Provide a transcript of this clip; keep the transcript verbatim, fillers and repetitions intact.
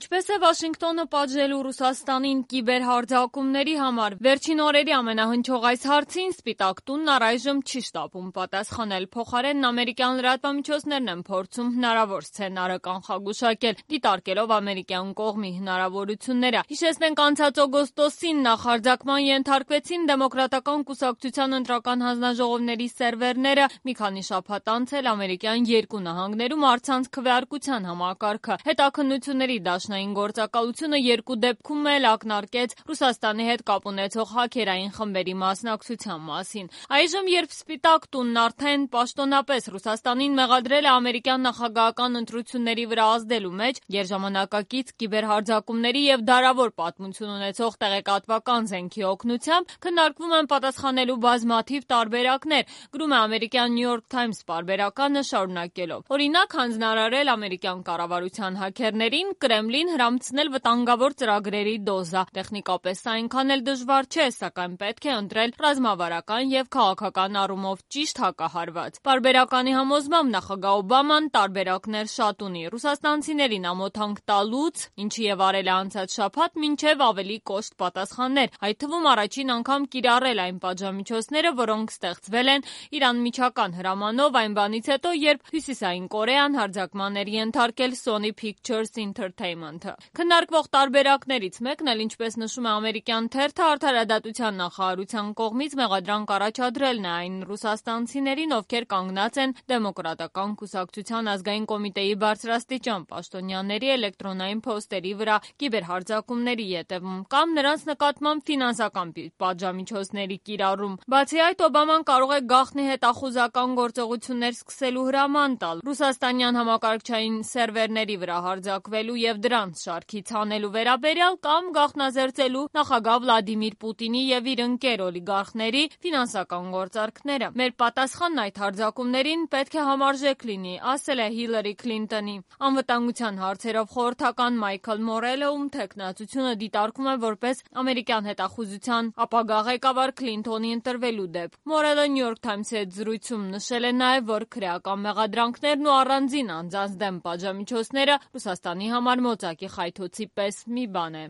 Ինչպես է Վաշինգտոնը պատժելու Ռուսաստանին կիբերհարձակումների համար։ Վերջին օրերի ամենահնչող այս հարցին Սպիտակ տունն առայժմ չի շտապում պատասխանել։ Փոխարենն ամերիկյան լրատվամիջոցներն են փորձում հնարավոր սցենարը կանխագուշակել, դիտարկելով ամերիկյան կողմի հնարավորությունները։ Հիշեցնենք, անցած օգոստոսին նախարձակման ենթարկվեցին Դեմոկրատական կուսակցության ընտրական հանձնաժողովների սերվերները։ Մի քանի շաբաթ անց էլ ամերիկյան երկու նահանգներում առցանց քվեարկության համակարգը։ Հետաքննությունների դաշնային գործակալությունը երկու դեպքում էլ ակնարկեց Ռուսաստանի հետ կապ ունեցող հաքերային խմբերի մասնակցության մասին։ Այժմ, երբ Սպիտակ տունն արդեն պաշտոնապես Ռուսաստանին մեղադրել է ամերիկյան նախագահական ընտրությունների վրա ազդելու մեջ, երժամանակակից կիբերհարձակումների եւ դարավոր պատմություն ունեցող տեղեկատվական զենքի օգնությամբ քննարկվում են պատասխանելու բազմաթիվ տարբերակներ, գրում է ամերիկյան New York Times պարբերականը շարունակելով։ Օրինակ, հանձնարարել ամերիկյան կառավարության հաքերներին Կրեմլին հրամցնել վտանգավոր ծրագրերի դոզա։ Տեխնիկապես սա այնքան էլ դժվար չէ, սակայն պետք է ընտրել ռազմավարական եւ քաղաքական առումով ճիշտ հակահարված։ Պարբերականի համոզմամբ նախագահ Օբաման տարբերակներ շատ ունի ռուսաստանցիներին ամոթանք տալուց, ինչի եւ արել է անցած շաբաթ, մինչեւ ավելի կոշտ պատասխաններ, այդ թվում առաջին անգամ կիրառել այն պատժամիջոցները, որոնք ստեղծվել են իր անմիջական հրամանով այն բանից հետո, երբ Հյուսիսային Կորեան հարձակման էր ենթարկել Sony Pictures Entertainment-ը։ Քննարկվող տարբերակներից մեկն էլ, ինչպես նշում է ամերիկյան թերթը, արդարադատության նախարարության կողմից մեղադրանք առաջադրելն է այն ռուսաստանցիներին, ովքեր կանգնած են Դեմոկրատական կուսակցության ազգային կոմիտեի բարձրաստիճան պաշտոնյաների էլեկտրոնային փոստերի վրա կիբերհարձակումների ետևում կամ նրանց նկատմամբ ֆինանսական պատժամիջոցների կիրառում։ Բացի այդ, Օբաման կարող է գաղտնի հետախուզական գործողություններ սկսելու հրաման տալ ռուսաստանյան համակարգչային սերվերների վրա հարձակվելու եւ դրանց շարքից հանելու վերաբերյալ կամ գաղտնազերծելու նախագահ Վլադիմիր Պուտինի եւ իր ընկեր օլիգարխների ֆինանսական գործարքները։ Մեր պատասխանն այդ հարձակումներին պետք է համարժեք լինի, ասել է Հիլարի Քլինտոնի անվտանգության հարցերով խորհրդական Մայքլ Մորելը, ում թեկնածությունը դիտարկում է որպես ամերիկյան հետախուզության ապագա ղեկավար Քլինտոնի ընտրվելու դեպք։ Մորելը New York Times-ի հետ զրույցում նշել է նաեւ, որ քրեական մեղադրանքներն ու առանձին անձանց դեմ պատժամիջոցները Ռուսաստանի համար մոծակի խայթոցի պես մի բան է։